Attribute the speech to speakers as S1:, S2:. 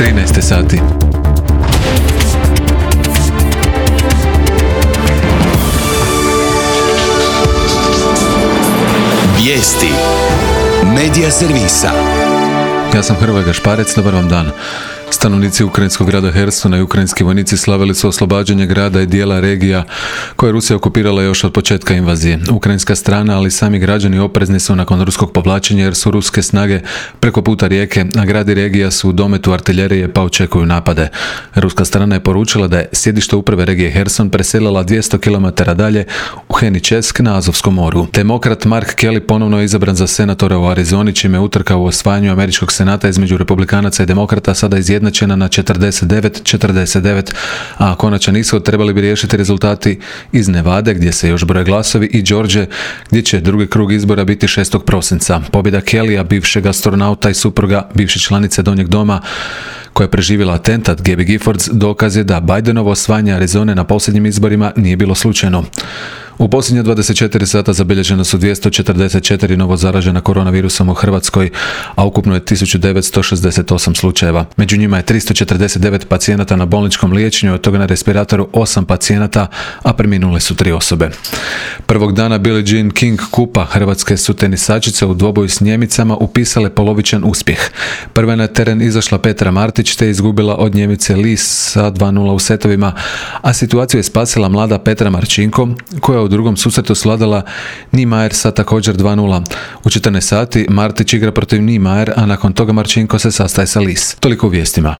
S1: 13 sati.
S2: Vijesti Medija servisa.
S1: Ja sam Hrvoje Gašparec, dobar vam dan. Stanovnici ukrajinskog grada Hersona i ukrajinski vojnici slavili su oslobađanje grada i dijela regija koje je Rusija okupirala još od početka invazije. Ukrajinska strana, ali sami građani oprezni su nakon ruskog povlačenja jer su ruske snage preko puta rijeke, a grad i regija su u dometu artiljerije pa očekuju napade. Ruska strana je poručila da je sjedište uprave regije Herson preselila 200 km dalje u Heničesk na Azovskom moru. Demokrat Mark Kelly ponovno je izabran za senatora u Arizoni, čime je utrka u osvajanju američkog senata između republikanaca i demokrata sada izjednačena na 49-49, a konačan ishod trebali bi riješiti rezultati iz Nevade, gdje se još broje glasovi, i Georgije, gdje će drugi krug izbora biti 6. prosinca. Pobjeda Kellya, bivšeg astronauta i supruga bivše članice Donjeg doma, koja je preživjela atentat, Gabby Giffords, dokaz je da Bidenovo osvajanje Arizone na posljednjim izborima nije bilo slučajno. U posljednje 24 sata zabilježeno su 244 novo zaražena koronavirusom u Hrvatskoj, a ukupno je 1968 slučajeva. Među njima je 349 pacijenata na bolničkom liječenju, od toga na respiratoru 8 pacijenata, a preminule su 3 osobe. Prvog dana Billie Jean King Kupa hrvatske su tenisačice u dvoboju s Njemicama upisale polovičan uspjeh. Prva je na teren izašla Petra Martić te izgubila od Njemice Lis sa 2:0 u setovima, a situaciju je spasila mlada Petra Marčinko, koja u drugom susretu svladala Niemeyer sa također 2:0. U 14 sati Martić igra protiv Niemeyer, a nakon toga Marčinko se sastaje sa Lis. Toliko u vijestima.